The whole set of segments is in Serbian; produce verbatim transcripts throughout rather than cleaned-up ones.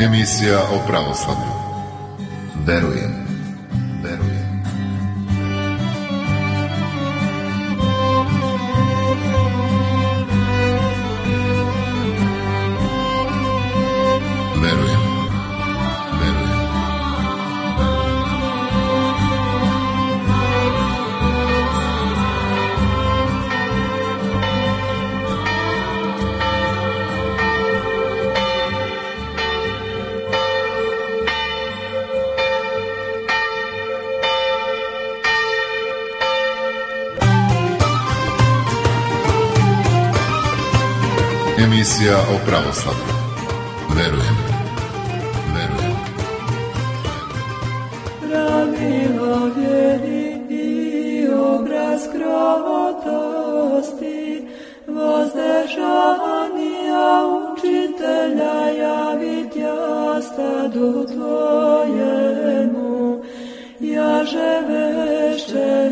Emisija o pravoslavlju. Verujem, verujem. Verujem, verujem. Emisija o pravoslavlju. Verujem, verujem. Pravilo vjeri i obraz krotosti, vozdežanija učitelja javit jastadu tvojemu, jaže vešće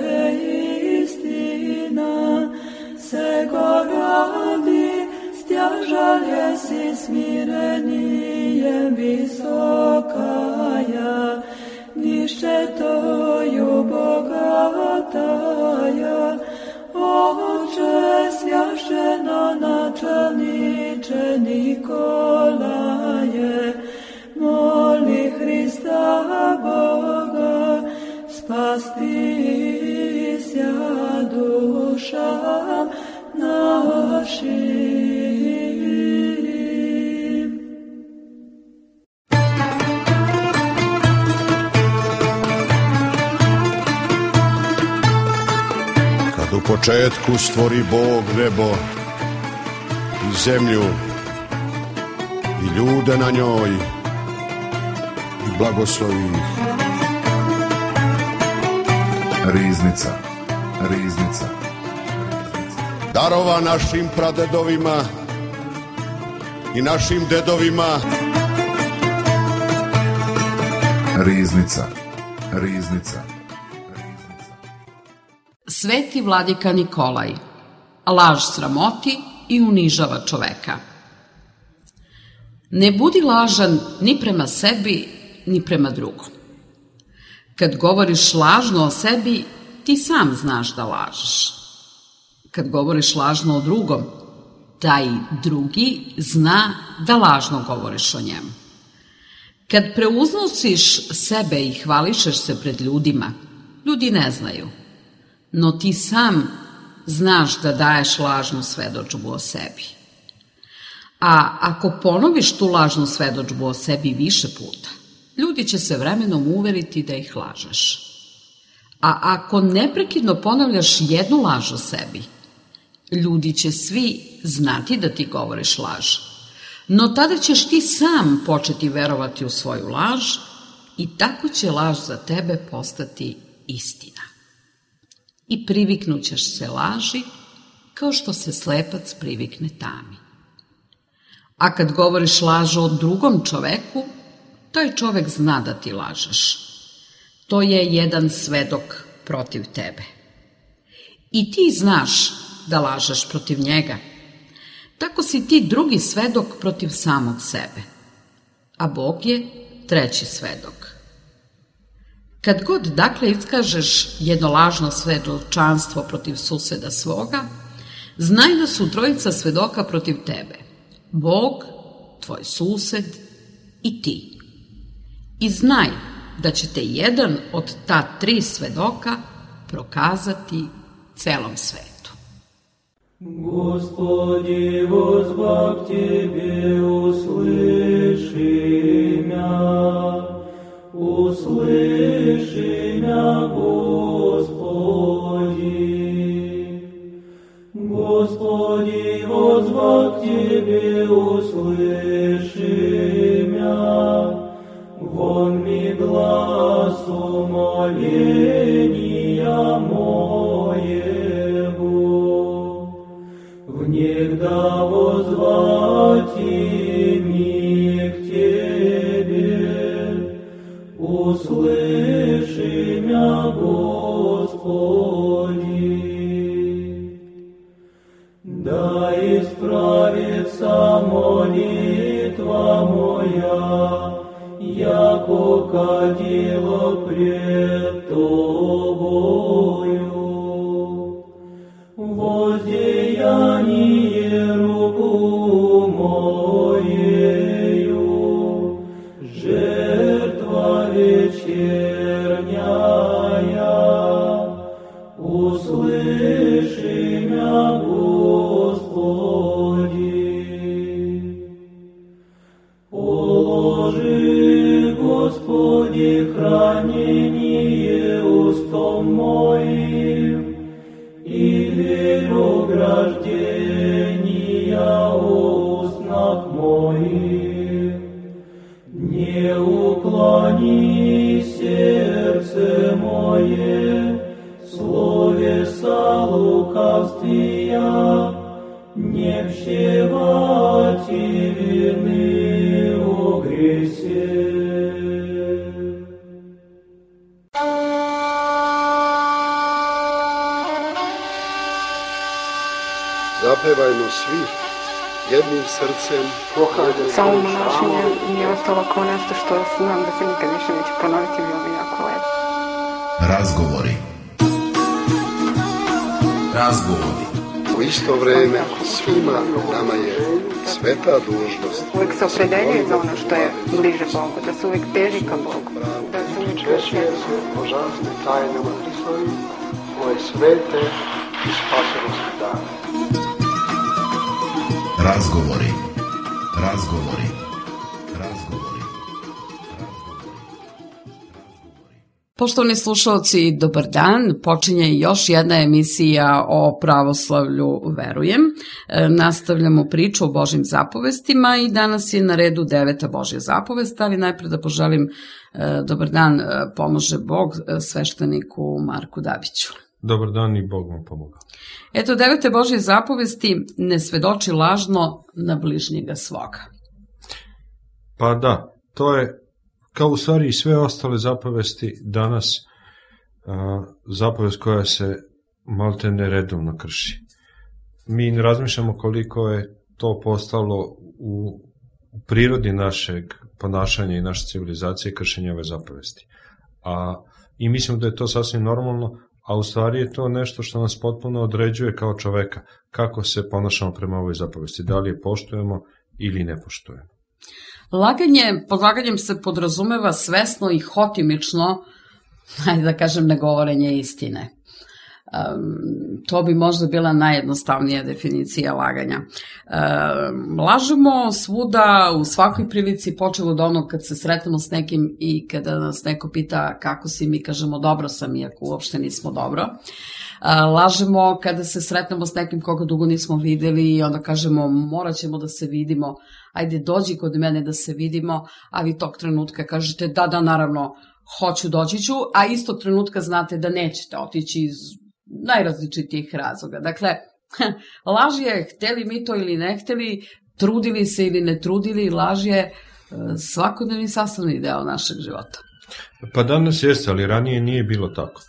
istina, se goradi, stjažalje si smirenijem visokaja, ništetoju bogataja, Oče svjašeno načelniče Nikolaje, moli Hrista Boga, spasti sja dušam našim. U početku stvori Bog nebo i zemlju i ljude na njoj i blagoslovi ih. Riznica, riznica. Darova našim pradedovima i našim dedovima. Riznica, riznica. Sveti vladika Nikolaj, laž sramoti i unižava čoveka. Ne budi lažan ni prema sebi, ni prema drugom. Kad govoriš lažno o sebi, ti sam znaš da lažeš. Kad govoriš lažno o drugom, taj drugi zna da lažno govoriš o njemu. Kad preuznosiš sebe i hvališeš se pred ljudima, ljudi ne znaju. No ti sam znaš da daješ lažnu svedodžbu o sebi. A ako ponoviš tu lažnu svedodžbu o sebi više puta, ljudi će se vremenom uveriti da ih lažeš. A ako neprekidno ponavljaš jednu laž o sebi, ljudi će svi znati da ti govoriš laž. No tada ćeš ti sam početi verovati u svoju laž i tako će laž za tebe postati istina. I priviknućeš se laži kao što se slepac privikne tami. A kad govoriš lažu o drugom čoveku, taj čovek zna da ti lažeš. To je jedan svedok protiv tebe. I ti znaš da lažeš protiv njega. Tako si ti drugi svedok protiv samog sebe. A Bog je treći svedok. Kad god dakle iskažeš jedno lažno svedočanstvo protiv suseda svoga, znaj da su trojica svedoka protiv tebe. Bog, tvoj sused i ti. I znaj da će te jedan od ta tri svedoka prokazati celom svetu. Господи, возбав Тебе, услыши мя, услыши мя, Господи. Господи, возбав Тебе, услыши мя, вон ми глас умоления моего. Внегда возвати ми к Тебе, услыши мя, Господи. Да исправится молитва моя яко кадило пред тобою. Воздеяние руку моею, жертва вечерняя, услыши мя, Господи. Положи, Господи, хранение устом моим, и дверь ограждения устных моих. Не уклони сердце мое, словеса лукавствия, не пщевать и вины о гресе. Zapevajmo svi jednim srcem. Samo monašenje nije ostalo kao nešto što znam da se nikad više neće ponoviti, bilo bi jako lepo. Razgovori. Razgovori. U isto vreme svima nama je sveta dužnost. Uvijek se opredeljuje za ono što je bliže Bogu, da se uvijek teži ka Bogu, da se uvijek Češuje se božanstvene tajnama Hristovi, koje svete i spasenosti dane. Razgovori. Razgovori. Razgovori. Poštovani slušalci, dobar dan. Počinje još jedna emisija o pravoslavlju Verujem. E, nastavljamo priču o Božjim zapovestima i danas je na redu deveta Božja zapovest, ali najpre da poželim e, dobar dan, e, pomože Bog, e, svešteniku Marku Dabiću. Dobar dan i Bog vam pomoga. Eto, devete Božje zapovesti, ne svedoči lažno na bližnjega svoga. Pa da, to je kao u stvari i sve ostale zapovesti danas a, zapovest koja se maltene redovno krši. Mi ne razmišljamo koliko je to postalo u, u prirodi našeg ponašanja i naše civilizacije kršenja ove zapovesti. A, I mislim da je to sasvim normalno, a u stvari je to nešto što nas potpuno određuje kao čoveka, kako se ponašamo prema ovoj zapovesti, da li je poštujemo ili ne poštujemo. Laganje, pod laganjem se podrazumeva svesno i hotimično, ajde da kažem, negovorenje istine. Um, to bi možda bila najjednostavnija definicija laganja. Um, lažemo svuda, u svakoj prilici, počelo od onog kad se sretnemo s nekim i kada nas neko pita kako si, mi kažemo dobro sam, iako uopšte nismo dobro. Uh, lažemo kada se sretnemo s nekim koga dugo nismo videli i onda kažemo morat ćemo da se vidimo, ajde dođi kod mene da se vidimo, a vi tog trenutka kažete da, da, naravno, hoću, doći ću, a istog trenutka znate da nećete otići iz najrazličitijih razloga. Dakle, laž je, hteli mi to ili ne hteli, trudili se ili ne trudili, laž je svakodnevni sastavni deo našeg života. Pa danas jeste, ali ranije nije bilo tako.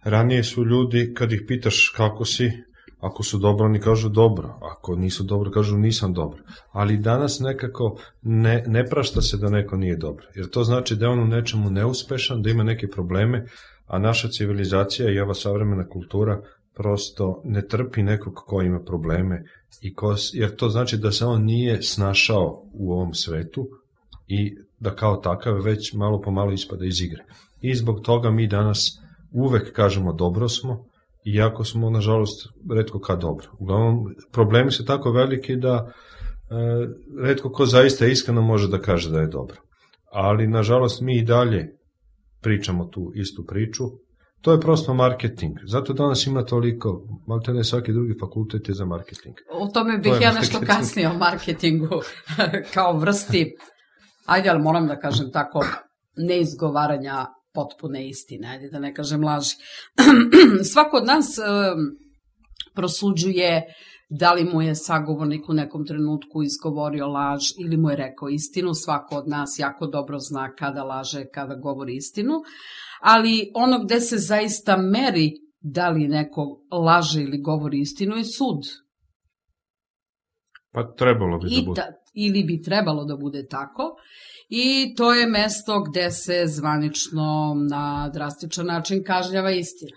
Ranije su ljudi, kad ih pitaš kako si, ako su dobro, oni kažu dobro, ako nisu dobro, kažu nisam dobro. Ali danas nekako ne, ne prašta se da neko nije dobro, jer to znači da je on u nečemu neuspešan, da ima neke probleme, a naša civilizacija i ova savremena kultura prosto ne trpi nekog ko ima probleme, i ko, jer to znači da se on nije snašao u ovom svetu i da kao takav već malo po malo ispada iz igre. I zbog toga mi danas uvek kažemo dobro smo, iako smo, nažalost, retko kad dobro. Uglavnom, problemi su tako veliki da e, retko ko zaista iskreno može da kaže da je dobro. Ali, nažalost, mi i dalje pričamo tu istu priču. To je prosto marketing. Zato danas ima toliko, malo ne svaki drugi fakultet je za marketing. O tome bih to ja nešto kasnije o marketingu kao vrsti, ajde, ali moram da kažem tako, neizgovaranja potpune istine, ajde da ne kažem laži. Svako od nas e, prosuđuje da li mu je sagovornik u nekom trenutku izgovorio laž ili mu je rekao istinu. Svako od nas jako dobro zna kada laže, kada govori istinu, ali ono gde se zaista meri da li neko laže ili govori istinu je sud. Pa trebalo bi da I bude. ta, ili bi trebalo da bude tako. I to je mesto gde se zvanično na drastičan način kažnjava istina.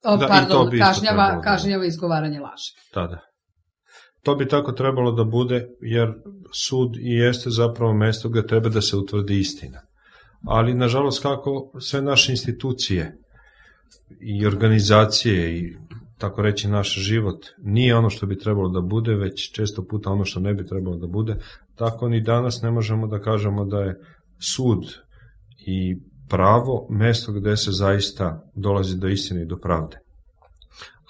O, Da, i to pardon, bi isto kažnjava, trebalo da kažnjava izgovaranje laži. Da, da. To bi tako trebalo da bude, jer sud i jeste zapravo mesto gde treba da se utvrdi istina. Ali, nažalost, kako sve naše institucije i organizacije i tako reći naš život nije ono što bi trebalo da bude, već često puta ono što ne bi trebalo da bude, tako ni danas ne možemo da kažemo da je sud i pravo mesto gde se zaista dolazi do istine i do pravde.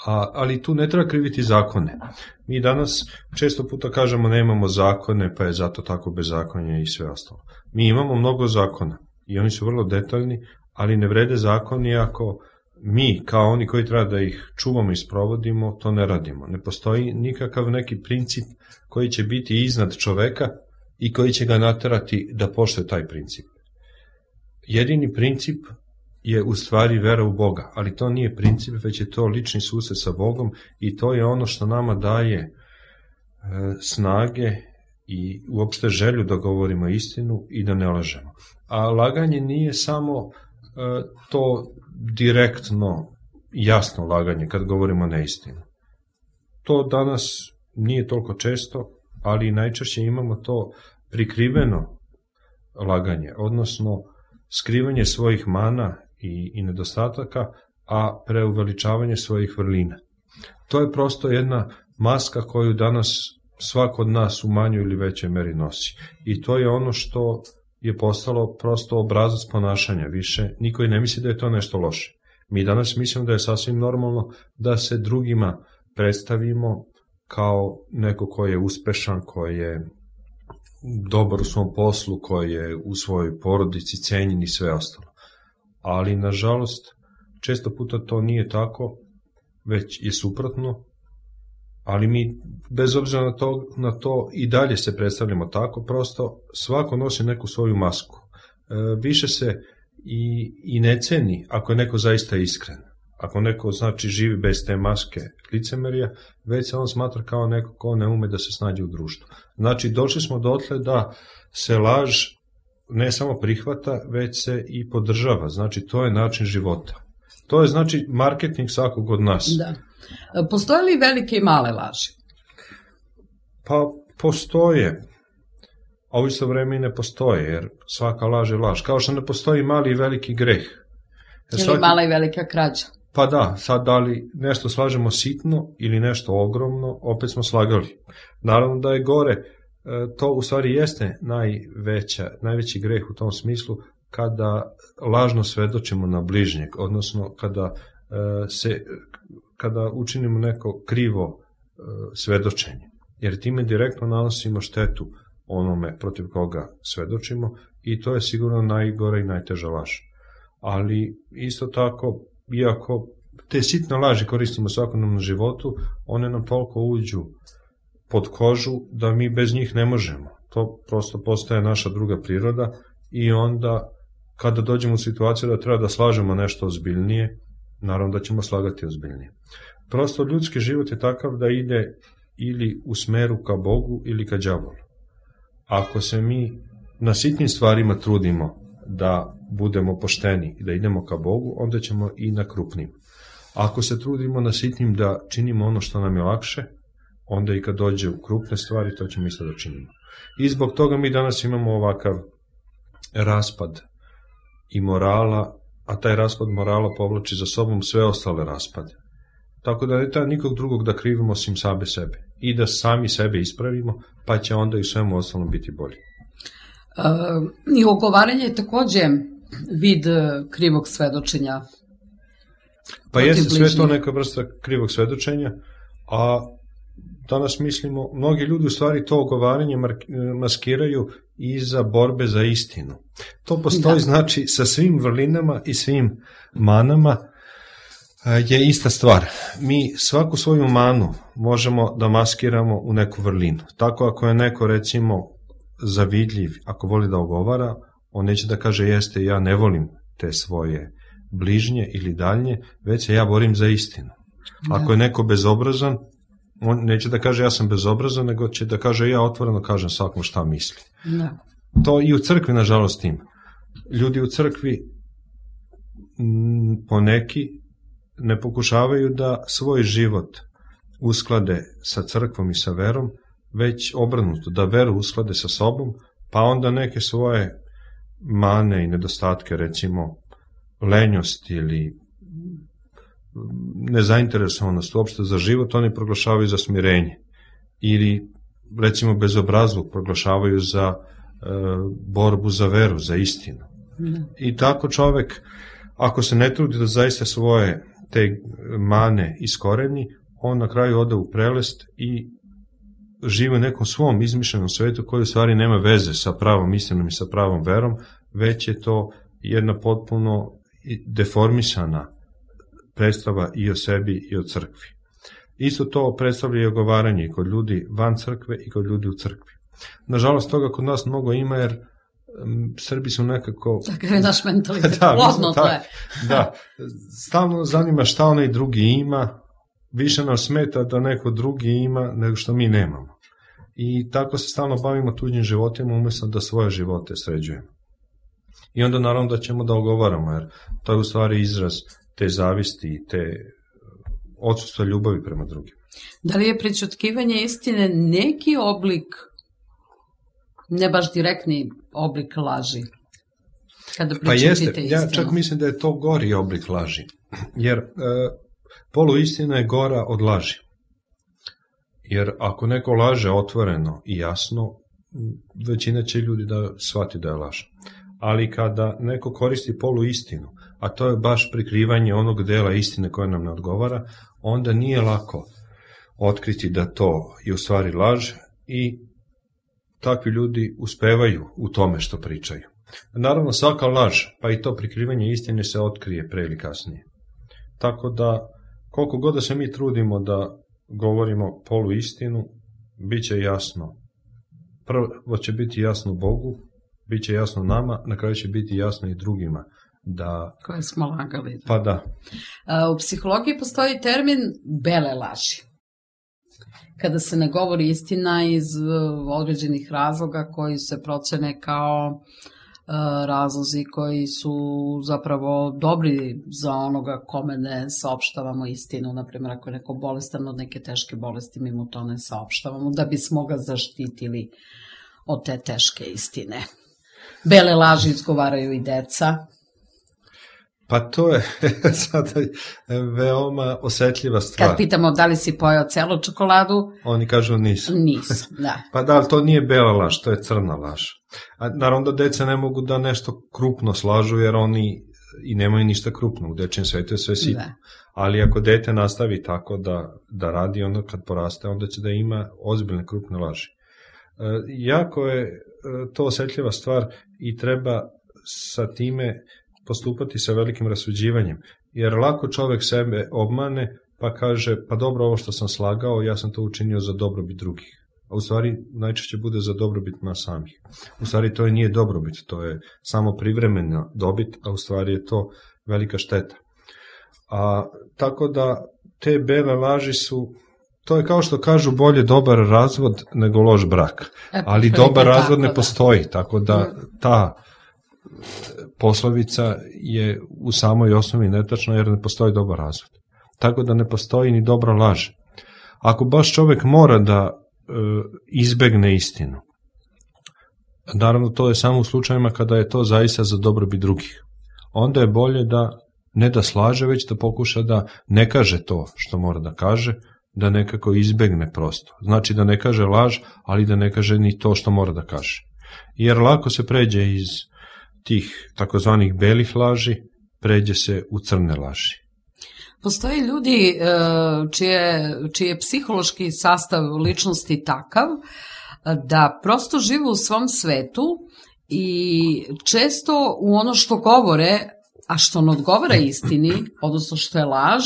A, ali tu ne treba kriviti zakone. Mi danas često puta kažemo nemamo zakone, pa je zato tako bezakonje i sve ostalo. Mi imamo mnogo zakona i oni su vrlo detaljni, ali ne vrede zakoni ako mi, kao oni koji treba da ih čuvamo i sprovodimo, to ne radimo. Ne postoji nikakav neki princip koji će biti iznad čoveka i koji će ga naterati da poštuje taj princip. Jedini princip je u stvari vera u Boga, ali to nije princip, već je to lični susret sa Bogom i to je ono što nama daje e, snage i uopšte želju da govorimo istinu i da ne lažemo. A laganje nije samo e, to direktno, jasno laganje kad govorimo neistinu. To danas nije toliko često, ali najčešće imamo to prikriveno laganje, odnosno skrivanje svojih mana i, i nedostataka, a preuveličavanje svojih vrlina. To je prosto jedna maska koju danas svako od nas u manjoj ili većoj meri nosi. I to je ono što je postalo prosto obrazac ponašanja više. Niko i ne misli da je to nešto loše. Mi danas mislimo da je sasvim normalno da se drugima predstavimo kao neko ko je uspešan, ko je dobar u svom poslu, koji je u svojoj porodici cenjen i sve ostalo. Ali, nažalost, često puta to nije tako, već je suprotno, ali mi, bez obzira na to, na to i dalje se predstavljamo tako, prosto svako nosi neku svoju masku. E, više se i, i ne ceni ako je neko zaista iskren. Ako neko, znači, živi bez te maske licemerja, već se on smatra kao neko ko ne ume da se snađe u društvu. Znači, došli smo dotle da se laž ne samo prihvata, već se i podržava. Znači, to je način života. To je, znači, marketing svakog od nas. Da. Postoje li velike i male laži? Pa, postoje. A u isto vreme i ne postoje, jer svaka laž je laž. Kao što ne postoji mali i veliki greh. Ili svaki... mala i velika krađa? Pa da, sad da li nešto slažemo sitno ili nešto ogromno, opet smo slagali. Naravno da je gore, to u stvari jeste najveća, najveći greh u tom smislu kada lažno svedočimo na bližnjeg, odnosno kada, se, kada učinimo neko krivo svedočenje. Jer time direktno nanosimo štetu onome protiv koga svedočimo i to je sigurno najgora i najteža laž. Ali isto tako, iako te sitne laži koristimo u svakodnevnom životu, one nam toliko uđu pod kožu da mi bez njih ne možemo. To prosto postaje naša druga priroda i onda kada dođemo u situaciju da treba da slažemo nešto ozbiljnije, naravno da ćemo slagati ozbiljnije. Prosto ljudski život je takav da ide ili u smeru ka Bogu ili ka đavolu. Ako se mi na sitnim stvarima trudimo da budemo pošteni i da idemo ka Bogu, onda ćemo i na krupnim. Ako se trudimo na sitnim da činimo ono što nam je lakše, onda i kad dođe u krupne stvari, to ćemo isto da činimo. I zbog toga mi danas imamo ovakav raspad i morala, a taj raspad morala povlači za sobom sve ostale raspade. Tako da ne treba nikog drugog da krivimo osim same sebe. I da sami sebe ispravimo, pa će onda i svemu ostalom biti bolje. Uh, I ogovaranje je takođe vid krivog svedočenja. Pa jeste sve to neka vrsta krivog svedočenja, a danas mislimo, mnogi ljudi u stvari to ogovaranje maskiraju iza borbe za istinu. To postoji, da. Znači, sa svim vrlinama i svim manama je ista stvar. Mi svaku svoju manu možemo da maskiramo u neku vrlinu. Tako ako je neko, recimo, zavidljiv, ako voli da ogovara, on neće da kaže jeste, ja ne volim te svoje bližnje ili daljnje, već se ja borim za istinu. Ako je neko bezobrazan, On neće da kaže ja sam bezobrazan, nego će da kaže ja otvoreno kažem svakom šta misli. Da. To i u crkvi, nažalost, ima. Ljudi u crkvi m, poneki ne pokušavaju da svoj život usklade sa crkvom i sa verom, već obrnuto, da veru usklade sa sobom, pa onda neke svoje mane i nedostatke, recimo lenjost ili nezainteresovanost uopšte za život, oni proglašavaju za smirenje. Ili, recimo, bezobrazluk proglašavaju za e, borbu za veru, za istinu. Mm. I tako čovek, ako se ne trudi da zaista svoje te mane iskoreni, on na kraju ode u prelest i živi u nekom svom izmišljenom svetu koji u stvari nema veze sa pravom istinom i sa pravom verom, već je to jedna potpuno deformisana predstava i o sebi i o crkvi. Isto to predstavlja i ogovaranje kod ljudi van crkve i kod ljudi u crkvi. Nažalost, toga kod nas mnogo ima, jer um, Srbi su nekako... Takav je naš mentalitet, da, plodno tle. Da, stalno zanima šta onaj drugi ima, više nam smeta da neko drugi ima nego što mi nemamo. I tako se stalno bavimo tuđim životima umjesto da svoje živote sređujemo. I onda naravno da ćemo da ogovaramo, jer to je u stvari izraz te zavisti i te odsustva ljubavi prema drugim. Da li je prećutkivanje istine neki oblik, ne baš direktni oblik laži? Kada pa jeste, istinu? Ja čak mislim da je to gori oblik laži, jer e, poluistina je gora od laži. Jer ako neko laže otvoreno i jasno, većina će ljudi da shvati da je laž. Ali kada neko koristi poluistinu, a to je baš prikrivanje onog dela istine koja nam ne odgovara, onda nije lako otkriti da to je u stvari laž i takvi ljudi uspevaju u tome što pričaju. Naravno, svaka laž, pa i to prikrivanje istine se otkrije pre ili kasnije. Tako da, koliko god da se mi trudimo da govorimo poluistinu, bit će jasno. Prvo će biti jasno Bogu, bit će jasno nama, na kraju će biti jasno i drugima. Da... Koje smo lagali. Pa da. U psihologiji postoji termin bele laži. Kada se ne govori istina iz određenih razloga koji se procene kao razlozi koji su zapravo dobri za onoga kome ne saopštavamo istinu. Naprimjer, ako je neko bolestan od neke teške bolesti, mi mu to ne saopštavamo da bismo ga zaštitili od te teške istine. Bele laži izgovaraju i deca. Pa to je sada veoma osetljiva stvar. Kad pitamo da li si pojeo celu čokoladu, oni kažu nisam. Nisam, da. Pa da, ali to nije bela laž, to je crna laž. A naravno da deca ne mogu da nešto krupno slažu, jer oni i nemaju ništa krupno, u dečijem svetu je sve sitno. Da. Ali ako dete nastavi tako da, da radi, onda kad poraste, onda će da ima ozbiljne krupne laži. E, jako je to osetljiva stvar i treba sa time postupati sa velikim rasuđivanjem, jer lako čovek sebe obmane pa kaže, pa dobro, ovo što sam slagao, ja sam to učinio za dobrobit drugih. A u stvari najčešće bude za dobrobit nas samih. U stvari to nije dobrobit, to je samo privremena dobit, a u stvari je to velika šteta. A, tako da te bele laži su, to je kao što kažu bolje dobar razvod nego loš brak. Ali dobar razvod ne postoji, tako da ta poslovica je u samoj osnovi netačna, jer ne postoji dobar razvod. Tako da ne postoji ni dobra laž. Ako baš čovek mora da e, izbegne istinu, naravno to je samo u slučajima kada je to zaista za dobrobit drugih, onda je bolje da ne da slaže, već da pokuša da ne kaže to što mora da kaže, da nekako izbegne prosto. Znači da ne kaže laž, ali da ne kaže ni to što mora da kaže. Jer lako se pređe iz tih takozvanih belih laži, pređe se u crne laži. Postoji ljudi čije, čiji je psihološki sastav ličnosti takav da prosto žive u svom svetu i često u ono što govore, a što ne odgovara istini, odnosno što je laž,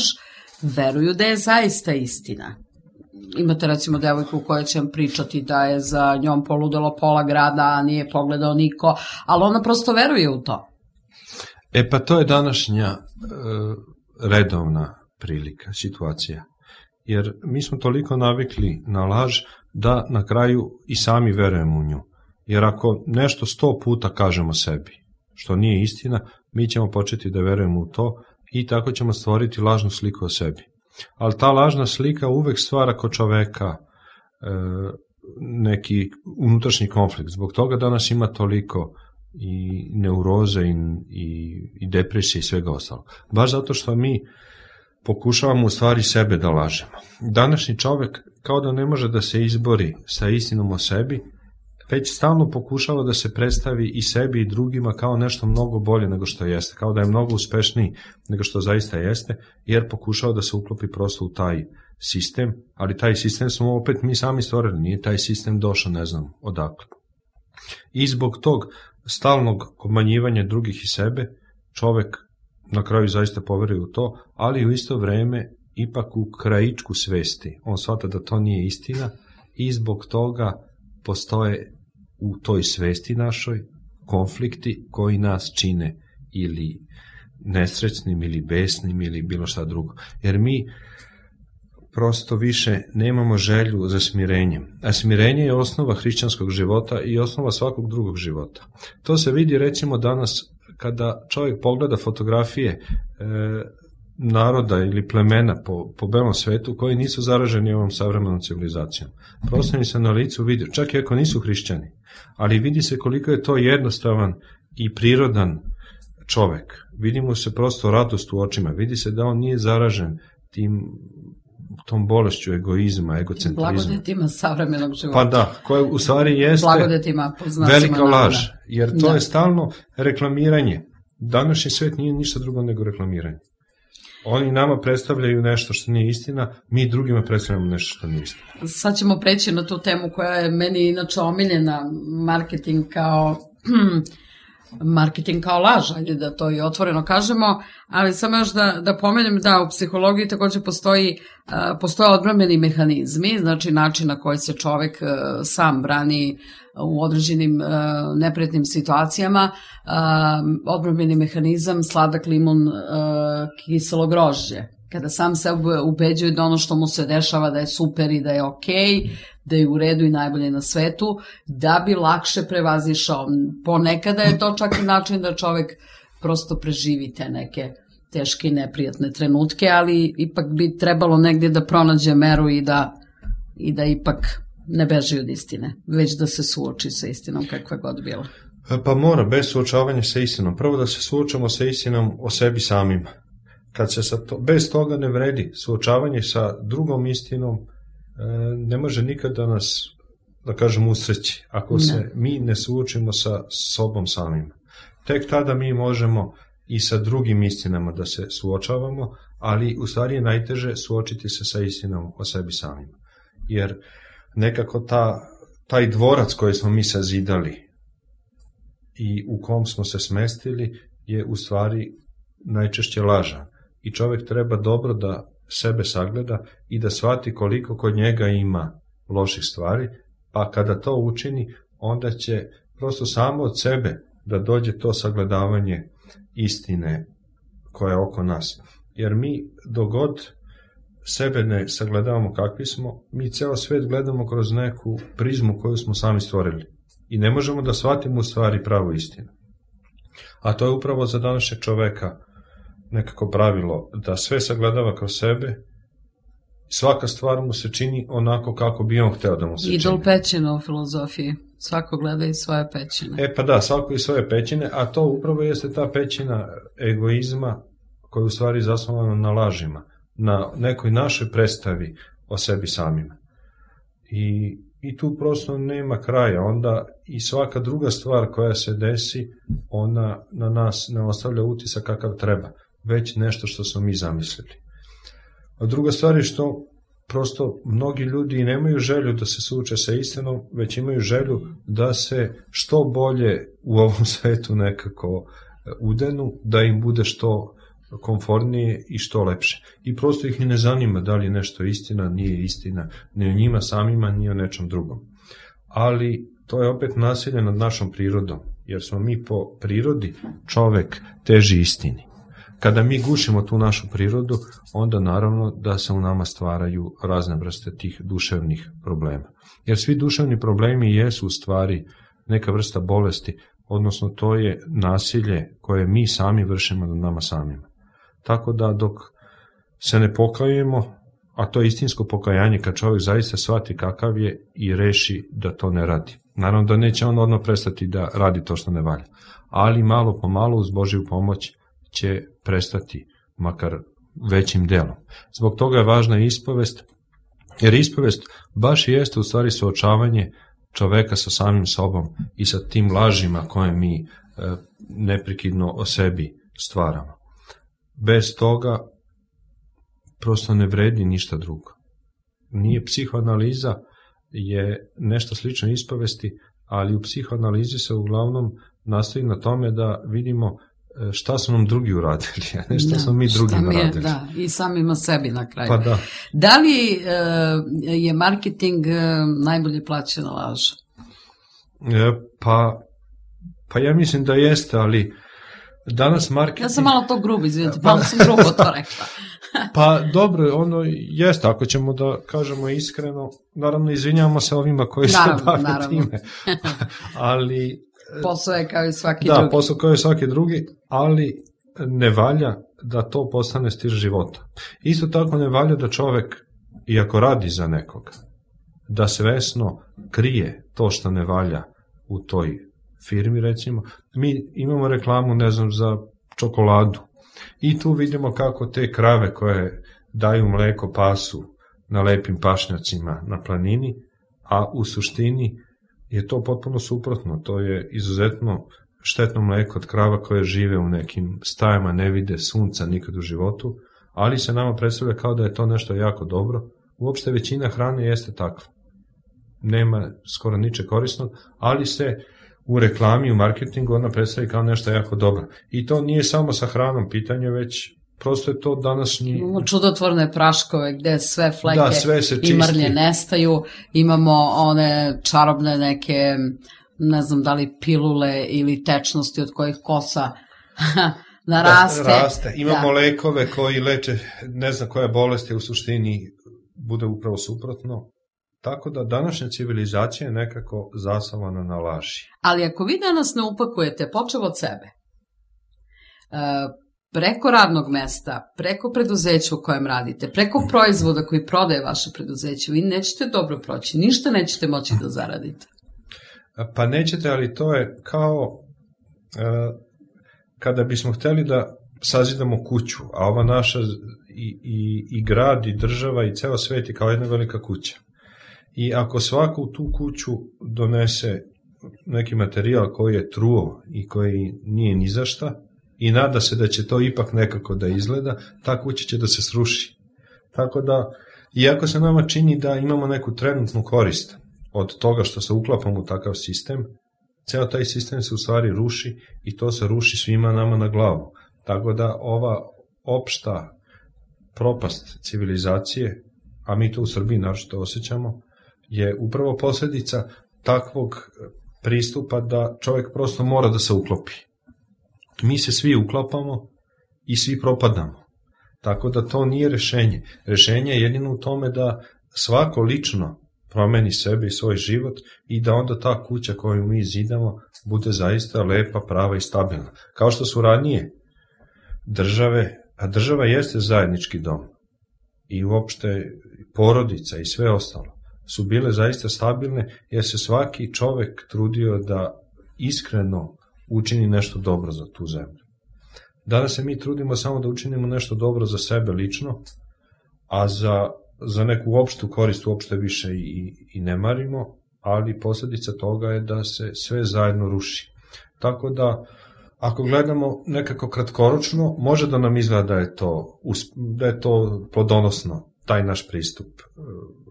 veruju da je zaista istina. Imate recimo devojku koja će vam pričati da je za njom poludelo pola grada, a nije pogledao niko, ali ona prosto veruje u to. E pa to je današnja e, redovna prilika, situacija. jer mi smo toliko navikli na laž da na kraju i sami verujemo u nju. Jer ako nešto sto puta kažemo sebi, što nije istina, mi ćemo početi da verujemo u to i tako ćemo stvoriti lažnu sliku o sebi. Ali ta lažna slika uvek stvara kod čoveka e, neki unutrašnji konflikt. Zbog toga danas ima toliko i neuroze i, i, i depresije i svega ostalo. Baš zato što mi pokušavamo u stvari sebe da lažemo. Današnji čovek kao da ne može da se izbori sa istinom o sebi, već stalno pokušava da se predstavi i sebi i drugima kao nešto mnogo bolje nego što jeste, kao da je mnogo uspešniji nego što zaista jeste, jer pokušava da se uklopi prosto u taj sistem, ali taj sistem smo opet mi sami stvorili, nije taj sistem došao ne znam odakle. I zbog tog stalnog obmanjivanja drugih i sebe, čovek na kraju zaista poveruje u to, ali u isto vreme ipak u krajičku svesti. On shvata da to nije istina i zbog toga postoje u toj svesti našoj konflikti koji nas čine ili nesrećnim ili besnim ili bilo šta drugo. Jer mi prosto više nemamo želju za smirenjem. A smirenje je osnova hrišćanskog života i osnova svakog drugog života. To se vidi recimo danas kada čovjek pogleda fotografije e, naroda ili plemena po, po belom svetu koji nisu zaraženi ovom savremenom civilizacijom. Prosto im se na licu vidi, čak i ako nisu hrišćani, ali vidi se koliko je to jednostavan i prirodan čovek. Vidi mu se prosto radost u očima, vidi se da on nije zaražen tim tom bolešću egoizma, egocentrizma. Blagodetima savremenog života. Pa da, koja u stvari jeste Blagodetima, velika laž, jer to da. je stalno reklamiranje. Današnji svet nije ništa drugo nego reklamiranje. Oni nama predstavljaju nešto što nije istina, mi drugima predstavljamo nešto što nije istina. Sad ćemo preći na tu temu koja je meni inače omiljena, marketing kao marketing kao laž, ajde da to i otvoreno kažemo, ali samo još da, da pomenem da u psihologiji također postoji, uh, postoje odbrambeni mehanizmi, znači način na koji se čovek uh, sam brani u određenim uh, neprijatnim situacijama, uh, odbrambeni mehanizam sladak limun, uh, kiselo grožđe. Kada sam se ubeđuje da ono što mu se dešava da je super i da je okej, da je u redu i najbolje na svetu, da bi lakše prevazišao. Ponekada je to čak i način da čovek prosto preživi te neke teške i neprijatne trenutke, ali ipak bi trebalo negdje da pronađe meru i da, i da ipak ne beži od istine, već da se suoči sa istinom kakva god bila. Pa mora, bez suočavanja sa istinom. Prvo da se suočamo sa istinom o sebi samima. Kad se sa to, bez toga ne vredi suočavanje sa drugom istinom, ne može nikada nas, da kažem, usreći ako ne. se mi ne suočimo sa sobom samima. Tek tada mi možemo i sa drugim istinama da se suočavamo, ali u stvari je najteže suočiti se sa istinom o sebi samima. Jer nekako ta, taj dvorac koji smo mi sazidali i u kom smo se smestili je u stvari najčešće lažan. I čovjek treba dobro da sebe sagleda i da shvati koliko kod njega ima loših stvari, pa kada to učini, onda će prosto samo od sebe da dođe to sagledavanje istine koja je oko nas. Jer mi dogod sebe ne sagledavamo kakvi smo, mi ceo svet gledamo kroz neku prizmu koju smo sami stvorili. I ne možemo da shvatimo u stvari pravu istinu. A to je upravo za današnjeg čoveka nekako pravilo, da sve sagledava kroz sebe, svaka stvar mu se čini onako kako bi on hteo da mu se čini. Idol pećina u filozofiji, svako gleda i svoje pećine. E pa da, svako i svoje pećine, a to upravo jeste ta pećina egoizma koja je u stvari zasnovana na lažima, na nekoj našoj predstavi o sebi samima. I, i tu prosto nema kraja, onda i svaka druga stvar koja se desi, ona na nas ne ostavlja utisak kakav treba, već nešto što smo mi zamislili. A druga stvar je što prosto mnogi ljudi nemaju želju da se suoče sa istinom, već imaju želju da se što bolje u ovom svetu nekako udenu, da im bude što komfortnije i što lepše. I prosto ih i ne zanima da li je nešto istina, nije istina, ni o njima samima, ni o nečem drugom. Ali to je opet nasilje nad našom prirodom, jer smo mi po prirodi čovek teži istini. Kada mi gušimo tu našu prirodu, onda naravno da se u nama stvaraju razne vrste tih duševnih problema. Jer svi duševni problemi jesu u stvari neka vrsta bolesti, odnosno to je nasilje koje mi sami vršimo na nama samima. Tako da dok se ne pokajemo, a to je istinsko pokajanje kad čovjek zaista shvati kakav je i reši da to ne radi. Naravno da neće on odmah prestati da radi to što ne valja, ali malo po malo uz Božju pomoć će prestati, makar većim delom. Zbog toga je važna ispovest, jer ispovest baš i jeste u stvari suočavanje čoveka sa samim sobom i sa tim lažima koje mi e, neprekidno o sebi stvaramo. Bez toga prosto ne vredi ništa drugo. Nije psihoanaliza je nešto slično ispovesti, ali u psihoanalizi se uglavnom nastoji na tome da vidimo šta su nam drugi uradili, a ne šta da, smo mi drugima je, radili. Da, i samima sebi na kraju. Pa da. Da li e, je marketing e, najbolje plaćena laž? E, pa, pa ja mislim da jeste, ali danas marketing... Ja sam malo to grubo, izvinite, malo sam grubo to rekla. Pa dobro, ono jeste, ako ćemo da kažemo iskreno, naravno izvinjavamo se ovima koji naravno, se bave naravno. time, ali... Posao je kao i svaki da, drugi. Da, posao kao i svaki drugi, ali ne valja da to postane stil života. Isto tako ne valja da čovek, iako radi za nekoga, da svesno krije to što ne valja u toj firmi, recimo. Mi imamo reklamu, ne znam, za čokoladu i tu vidimo kako te krave koje daju mleko pasu na lepim pašnjacima na planini, a u suštini je to potpuno suprotno. To je izuzetno štetno mleko od krava koje žive u nekim stajama, ne vide sunca nikad u životu, ali se nama predstavlja kao da je to nešto jako dobro. Uopšte većina hrane jeste takva. Nema skoro niče korisnog, ali se u reklami, u marketingu ona predstavlja kao nešto jako dobro. I to nije samo sa hranom pitanje, već prosto je to današnji... Imamo čudotvorne praškove gde sve fleke da, sve i mrlje nestaju, imamo one čarobne neke, ne znam da li pilule ili tečnosti od kojih kosa naraste. Da, raste. Imamo da. lekove koji leče ne znam koje bolesti, u suštini bude upravo suprotno. Tako da današnja civilizacija je nekako zasavana na laži. Ali ako vi danas ne upakujete, počev od sebe, preko radnog mesta, preko preduzeća u kojem radite, preko proizvoda koji prodaje vaše preduzeće, vi nećete dobro proći, ništa nećete moći da zaradite. Pa nećete, ali to je kao kada bismo hteli da sazidamo kuću, a ova naša i, i, i grad, i država, i ceo svet je kao jedna velika kuća. I ako svako u tu kuću donese neki materijal koji je truo i koji nije ni za šta i nada se da će to ipak nekako da izgleda, ta kuća će da se sruši. Tako da, iako se nama čini da imamo neku trenutnu korist od toga što se uklapamo u takav sistem, ceo taj sistem se u stvari ruši i to se ruši svima nama na glavu. Tako da ova opšta propast civilizacije, a mi to u Srbiji naročito osjećamo, je upravo posledica takvog pristupa da čovjek prosto mora da se uklopi. Mi se svi uklapamo i svi propadamo. Tako da to nije rešenje. Rešenje je jedino u tome da svako lično promeni sebe i svoj život i da onda ta kuća koju mi zidamo bude zaista lepa, prava i stabilna. Kao što su ranije države, a država jeste zajednički dom i uopšte porodica i sve ostalo, su bile zaista stabilne jer se svaki čovek trudio da iskreno učini nešto dobro za tu zemlju. Danas se mi trudimo samo da učinimo nešto dobro za sebe lično, a za, za neku opštu korist uopšte više i, i ne marimo, ali posljedica toga je da se sve zajedno ruši. Tako da, ako gledamo nekako kratkoročno, može da nam izgleda da je to, da je to plodonosno, taj naš pristup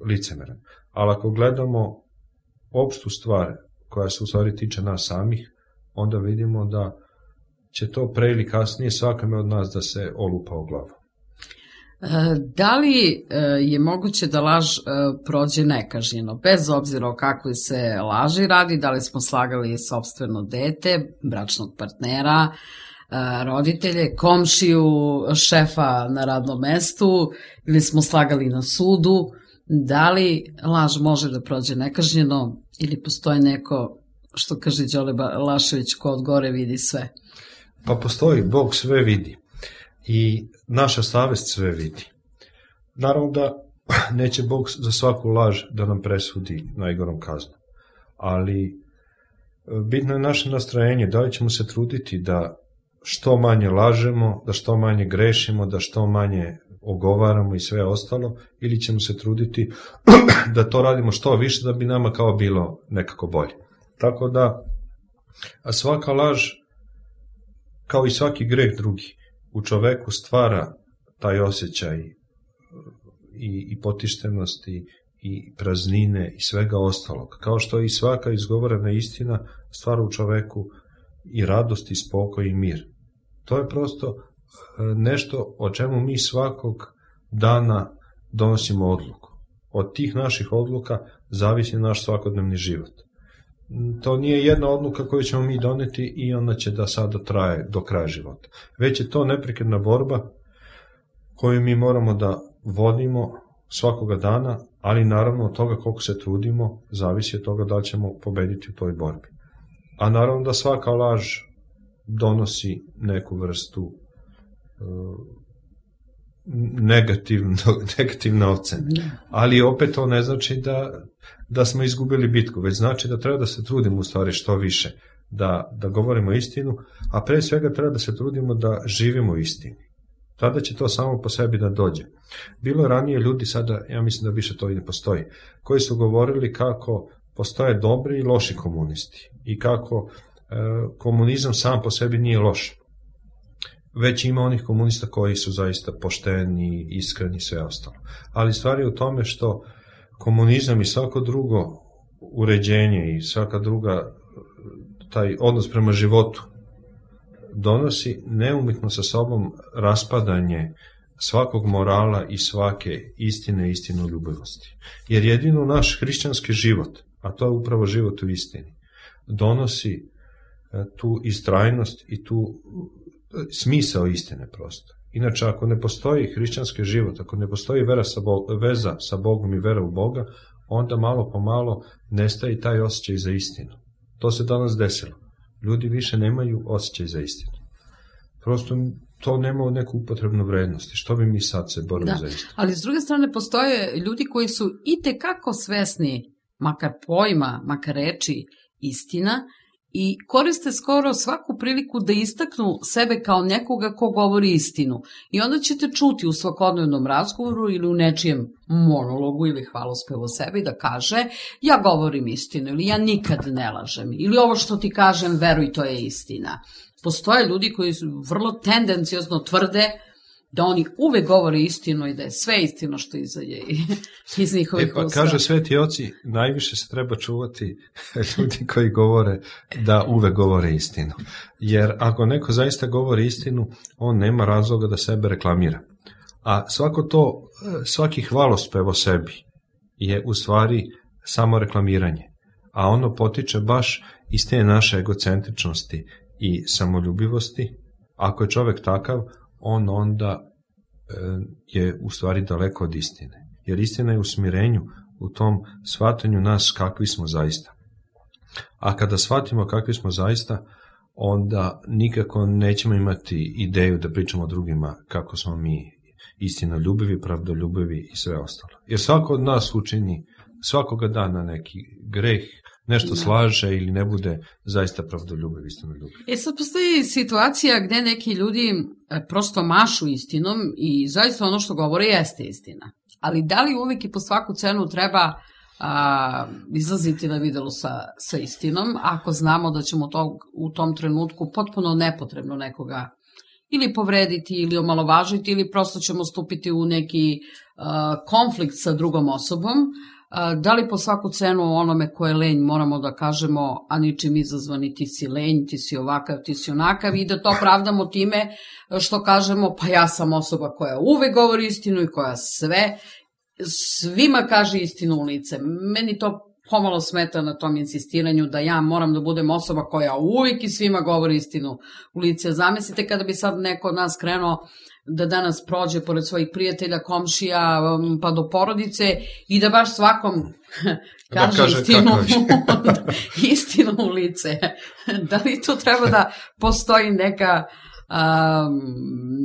licemeran. Ali ako gledamo opštu stvar koja se u stvari tiče nas samih, onda vidimo da će to pre ili kasnije svakome od nas da se olupa u glavu. Da li je moguće da laž prođe nekažnjeno, bez obzira o kakvoj se laži radi, da li smo slagali sopstveno dete, bračnog partnera, roditelje, komšiju, šefa na radnom mestu ili smo slagali na sudu. Da li laž može da prođe nekažnjeno ili postoji neko, što kaže Đole Balašević, ko od gore vidi sve? Pa postoji, Bog sve vidi i naša savest sve vidi. Naravno da neće Bog za svaku laž da nam presudi najgorom kaznom, ali bitno je naše nastrojenje, da li ćemo se truditi da što manje lažemo, da što manje grešimo, da što manje ogovaramo i sve ostalo, ili ćemo se truditi da to radimo što više da bi nama kao bilo nekako bolje. Tako da, a svaka laž, kao i svaki greh drugi, u čoveku stvara taj osjećaj i, i potištenosti i praznine i svega ostalog. Kao što i svaka izgovorena istina stvara u čoveku i radost i spokoj i mir. To je prosto nešto o čemu mi svakog dana donosimo odluku. Od tih naših odluka zavisi naš svakodnevni život. To nije jedna odluka koju ćemo mi doneti i ona će da sada traje do kraja života. Već je to neprekidna borba koju mi moramo da vodimo svakoga dana, ali naravno od toga koliko se trudimo zavisi od toga da li ćemo pobediti u toj borbi. A naravno da svaka laž donosi neku vrstu uh, negativno, negativne ocene. Ali opet to ne znači da, da smo izgubili bitku, već znači da treba da se trudimo u stvari što više, da, da govorimo istinu, a pre svega treba da se trudimo da živimo u istini. Tada će to samo po sebi da dođe. Bilo je ranije ljudi, sada ja mislim da više to i ne postoji, koji su govorili kako postoje dobri i loši komunisti i kako e, komunizam sam po sebi nije loš. Već ima onih komunista koji su zaista pošteni, iskreni i sve ostalo. Ali stvar je u tome što komunizam i svako drugo uređenje i svaka druga, taj odnos prema životu donosi neumitno sa sobom raspadanje svakog morala i svake istine i istinoljubivosti. Jer jedino naš hrišćanski život, a to je upravo život u istini, donosi tu istrajnost i tu smisao istine prosto. Inače, ako ne postoji hrišćanski život, ako ne postoji vera sa Bog, veza sa Bogom i vera u Boga, onda malo po malo nestaje taj osjećaj za istinu. To se danas desilo. Ljudi više nemaju osjećaj za istinu. Prosto to nema neku upotrebnu vrednost. Što bi mi sad se borili da, za istinu? Ali s druge strane postoje ljudi koji su itekako svesni, makar pojma, makar reči, istina, i koriste skoro svaku priliku da istaknu sebe kao nekoga ko govori istinu. I onda ćete čuti u svakodnevnom razgovoru ili u nečijem monologu ili hvalospevu o sebi da kaže ja govorim istinu ili ja nikad ne lažem ili ovo što ti kažem veruj to je istina. Postoje ljudi koji su vrlo tendenciozno tvrde da oni uvek govore istinu i da je sve istino što izađe iz njihovih e pa, usta. Kaže Sveti oci, najviše se treba čuvati ljudi koji govore da uvek govore istinu. Jer ako neko zaista govori istinu, on nema razloga da sebe reklamira. A svako to, svaki hvalospev o sebi je u stvari samo reklamiranje. A ono potiče baš iz te naše egocentričnosti i samoljubivosti. Ako je čovek takav, on onda je u stvari daleko od istine. Jer istina je u smirenju, u tom shvatanju nas kakvi smo zaista. A kada shvatimo kakvi smo zaista, onda nikako nećemo imati ideju da pričamo o drugima kako smo mi istinoljubivi, pravdoljubivi i sve ostalo. Jer svako od nas učini svakoga dana neki greh, nešto slaže ili ne bude zaista pravdoljubiv, istinoljubiv. E sad postoji situacija gde neki ljudi prosto mašu istinom i zaista ono što govore jeste istina. Ali da li uvijek i po svaku cenu treba a, izlaziti na videlo sa, sa istinom, ako znamo da ćemo to, u tom trenutku potpuno nepotrebno nekoga ili povrediti ili omalovažiti ili prosto ćemo stupiti u neki a, konflikt sa drugom osobom. Da li po svaku cenu onome ko je lenj moramo da kažemo, a ničim izazvani ti si lenj, ti si ovakav, ti si onakav i da to pravdamo time što kažemo pa ja sam osoba koja uvek govori istinu i koja sve, svima kaže istinu u lice. Meni to pomalo smeta na tom insistiranju da ja moram da budem osoba koja uvijek i svima govori istinu u lice. Zamislite kada bi sad neko od nas krenuo da danas prođe pored svojih prijatelja, komšija, pa do porodice i da baš svakom kaže, kaže istinu, istinu u lice. Da li tu treba da postoji neka, um,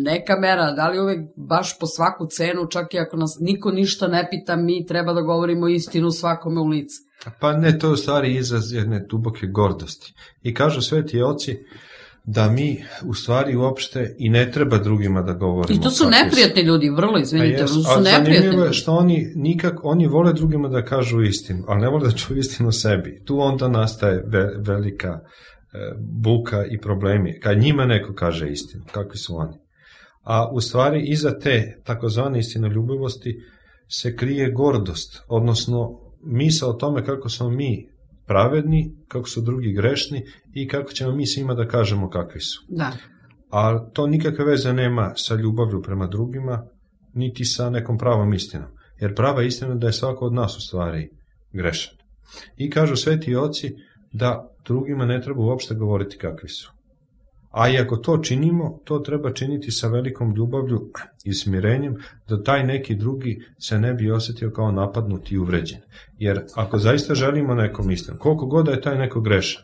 neka mera, da li uvek baš po svaku cenu, čak i ako nas niko ništa ne pita, mi treba da govorimo istinu svakome u lice? Pa ne, to je u stvari izraz jedne duboke gordosti. I kažu sveti oci da mi u stvari uopšte i ne treba drugima da govorimo. I to su neprijatni ljudi, vrlo, izvinite, su neprijatni ljudi. A što oni nikak, oni vole drugima da kažu istinu, ali ne vole da čuju istinu sebi. Tu onda nastaje ve, velika e, buka i problemi. Kad njima neko kaže istinu, kakvi su oni. A u stvari iza te takozvane istinoljubivosti se krije gordost, odnosno misao o tome kako smo mi pravedni, kako su drugi grešni i kako ćemo mi svima da kažemo kakvi su. Da. A to nikakve veze nema sa ljubavlju prema drugima, niti sa nekom pravom istinom. Jer prava istina je da je svako od nas u stvari grešan. I kažu sveti oci da drugima ne treba uopšte govoriti kakvi su. A i ako to činimo, to treba činiti sa velikom ljubavlju i smirenjem, da taj neki drugi se ne bi osjetio kao napadnut i uvređen. Jer ako zaista želimo nekom istinu, koliko god da je taj neko grešan,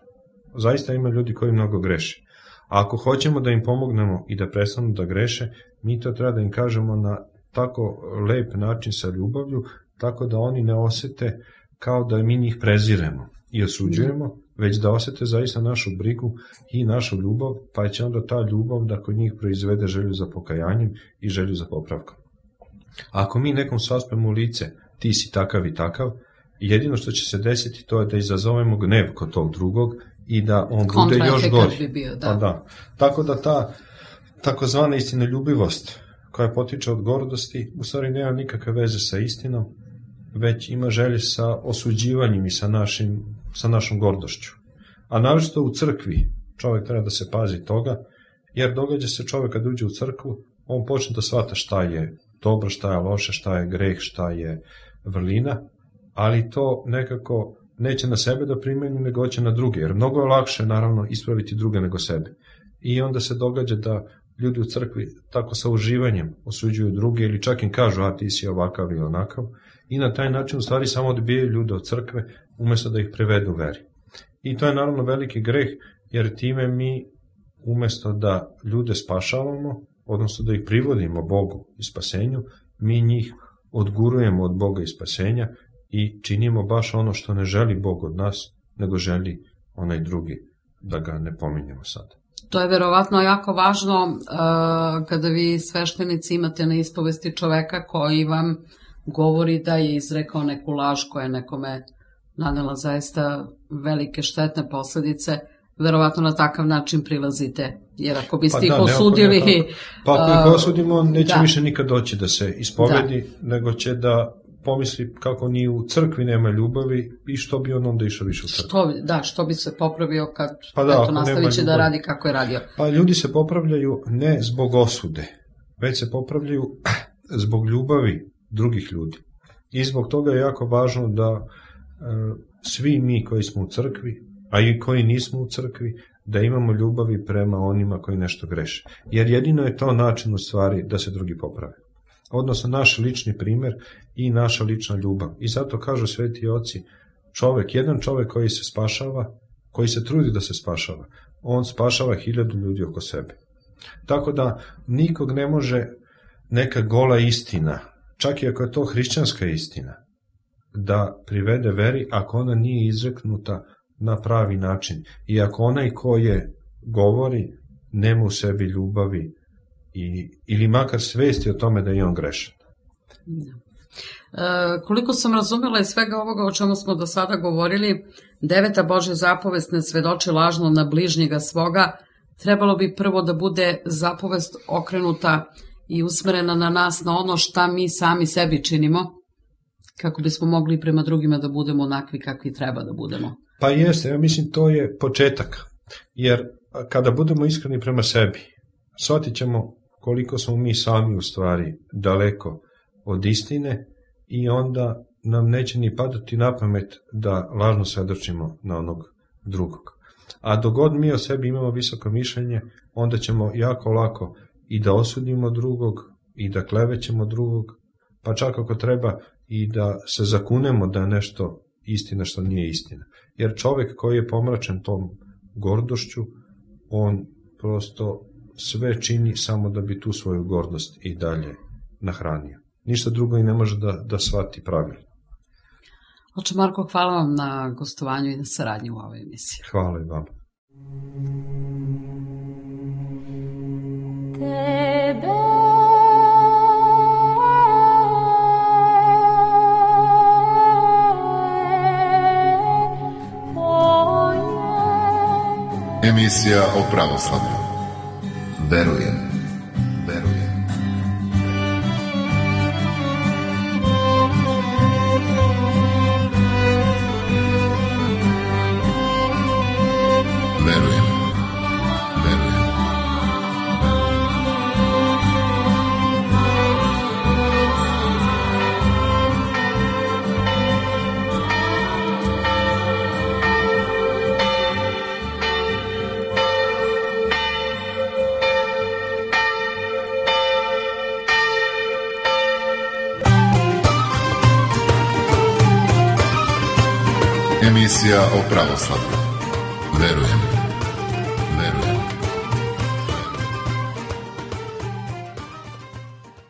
zaista ima ljudi koji mnogo greše. A ako hoćemo da im pomognemo i da prestanu da greše, mi to treba da im kažemo na tako lep način sa ljubavlju, tako da oni ne osete kao da mi njih preziremo i osuđujemo, već da osete zaista našu brigu i našu ljubav, pa će onda ta ljubav da kod njih proizvede želju za pokajanjem i želju za popravkom. Ako mi nekom saspemo u lice, ti si takav i takav, jedino što će se desiti to je da izazovemo gnev kod tog drugog i da on bude još gori. Bi bio, da. Pa da. Tako da ta takozvana istinoljubivost koja potiče od gordosti u stvari nema nikakve veze sa istinom, već ima želje sa osuđivanjem i sa, našim, sa našom gordošću. A naročito u crkvi čovjek treba da se pazi toga, jer događa se čovjek kad uđe u crkvu, on počne da shvata šta je dobro, šta je loše, šta je greh, šta je vrlina, ali to nekako neće na sebe da primeni, nego će na druge, jer mnogo je lakše naravno ispraviti druge nego sebe. I onda se događa da ljudi u crkvi tako sa uživanjem osuđuju druge ili čak im kažu, a ti si ovakav ili onakav, i na taj način u stvari samo odbijaju ljude od crkve umjesto da ih prevedu veri. I to je naravno veliki greh, jer time mi umjesto da ljude spašavamo, odnosno da ih privodimo Bogu i spasenju, mi njih odgurujemo od Boga i spasenja i činimo baš ono što ne želi Bog od nas, nego želi onaj drugi, da ga ne pominjemo sad. To je verovatno jako važno uh, kada vi sveštenici imate na ispovesti čoveka koji vam govori da je izrekao neku laž koja je nekome nanela zaista velike štetne posledice, verovatno na takav način prilazite, jer ako biste pa ih da, osudili... Ne, pa ako ih osudimo, neće da. više nikad doći da se ispovedi, da. nego će da pomisli kako ni u crkvi nema ljubavi i što bi on onda išao više u crkvi. Što, da, što bi se popravio kad pa da, eto, nastavit će da radi kako je radio. Pa ljudi se popravljaju ne zbog osude, već se popravljaju zbog ljubavi drugih ljudi. I zbog toga je jako važno da e, svi mi koji smo u crkvi, a i koji nismo u crkvi, da imamo ljubavi prema onima koji nešto greše. Jer jedino je to način u stvari da se drugi poprave. Odnosno naš lični primjer i naša lična ljubav. I zato kažu sveti oci, čovjek, jedan čovjek koji se spašava, koji se trudi da se spašava, on spašava hiljadu ljudi oko sebe. Tako da nikog ne može neka gola istina, čak i ako je to hrišćanska istina, da privede veri ako ona nije izreknuta na pravi način. I ako onaj ko je govori nema u sebi ljubavi i, ili makar svesti o tome da je on grešan. E, koliko sam razumela iz svega ovoga o čemu smo do sada govorili, deveta Božja zapovest ne svedoči lažno na bližnjega svoga, trebalo bi prvo da bude zapovest okrenuta i usmerena na nas, na ono šta mi sami sebi činimo, kako bismo mogli prema drugima da budemo onakvi kakvi treba da budemo. Pa jeste, ja mislim to je početak, jer kada budemo iskreni prema sebi, shvatit ćemo koliko smo mi sami u stvari daleko od istine i onda nam neće ni padati na pamet da lažno svedočimo na onog drugog. A dok god mi o sebi imamo visoko mišljenje, onda ćemo jako lako i da osudimo drugog, i da klevećemo drugog, pa čak ako treba i da se zakunemo da je nešto istina što nije istina. Jer čovjek koji je pomračen tom gordošću, on prosto sve čini samo da bi tu svoju gordost i dalje nahranio. Ništa drugo i ne može da, da shvati pravilno. Oče Marko, hvala vam na gostovanju i na saradnji u ovoj emisiji. Hvala i vama. Tebe Emisija o pravoslavlju. Verujem, verujem. Verujem, verujem. Emisija o pravoslavlju. Verujem.